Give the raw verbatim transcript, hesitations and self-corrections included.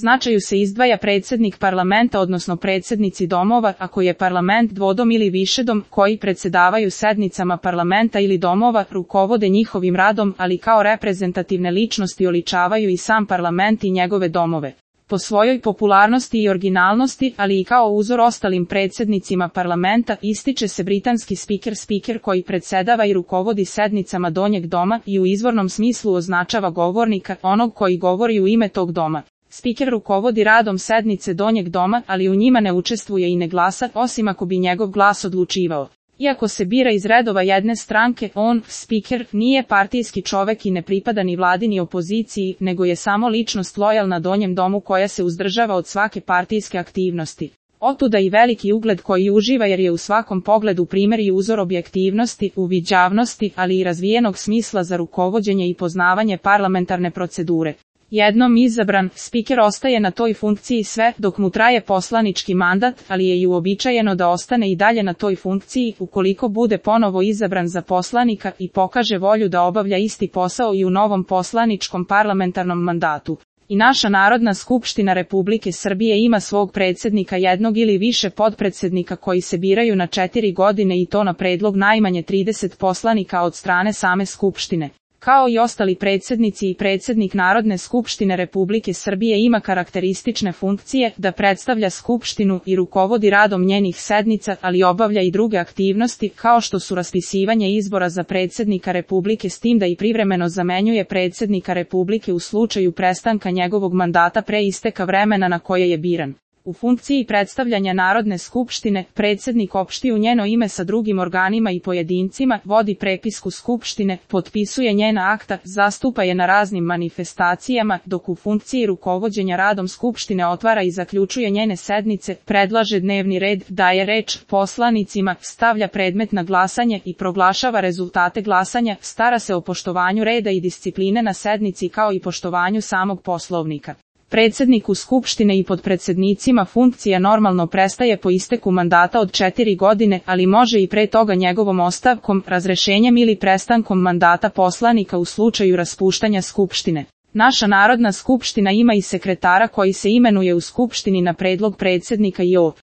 značaju se izdvaja predsjednik parlamenta odnosno predsjednici domova, ako je parlament dvodom ili višedom, koji predsjedavaju sednicama parlamenta ili domova, rukovode njihovim radom, ali kao reprezentativne ličnosti oličavaju i sam parlament i njegove domove. Po svojoj popularnosti i originalnosti, ali i kao uzor ostalim predsjednicima parlamenta, ističe se britanski spiker spiker koji predsjedava i rukovodi sednicama donjeg doma i u izvornom smislu označava govornika, onog koji govori u ime tog doma. Spiker rukovodi radom sednice donjeg doma, ali u njima ne učestvuje i ne glasa, osim ako bi njegov glas odlučivao. Iako se bira iz redova jedne stranke, on, spiker, nije partijski čovek i ne pripada ni vladi ni opoziciji, nego je samo ličnost lojalna donjem domu koja se uzdržava od svake partijske aktivnosti. Otuda i veliki ugled koji uživa jer je u svakom pogledu primjer i uzor objektivnosti, uviđavnosti, ali i razvijenog smisla za rukovođenje i poznavanje parlamentarne procedure. Jednom izabran, spiker ostaje na toj funkciji sve dok mu traje poslanički mandat, ali je i uobičajeno da ostane i dalje na toj funkciji ukoliko bude ponovo izabran za poslanika i pokaže volju da obavlja isti posao i u novom poslaničkom parlamentarnom mandatu. I naša Narodna skupština Republike Srbije ima svog predsjednika jednog ili više potpredsjednika koji se biraju na četiri godine i to na predlog najmanje trideset poslanika od strane same skupštine. Kao i ostali predsjednici i predsjednik Narodne skupštine Republike Srbije ima karakteristične funkcije da predstavlja skupštinu i rukovodi radom njenih sednica, ali obavlja i druge aktivnosti kao što su raspisivanje izbora za predsjednika Republike s tim da i privremeno zamenjuje predsjednika Republike u slučaju prestanka njegovog mandata pre isteka vremena na koje je biran. U funkciji predstavljanja Narodne skupštine, predsjednik opšti u njeno ime sa drugim organima i pojedincima, vodi prepisku skupštine, potpisuje njena akta, zastupa je na raznim manifestacijama, dok u funkciji rukovođenja radom skupštine otvara i zaključuje njene sednice, predlaže dnevni red, daje reč poslanicima, stavlja predmet na glasanje i proglašava rezultate glasanja, stara se o poštovanju reda i discipline na sednici kao i poštovanju samog Poslovnika. Predsjedniku Skupštine i potpredsjednicima funkcija normalno prestaje po isteku mandata od četiri godine, ali može i pre toga njegovom ostavkom, razrešenjem ili prestankom mandata poslanika u slučaju raspuštanja Skupštine. Naša Narodna skupština ima i sekretara koji se imenuje u Skupštini na predlog predsjednika i ov.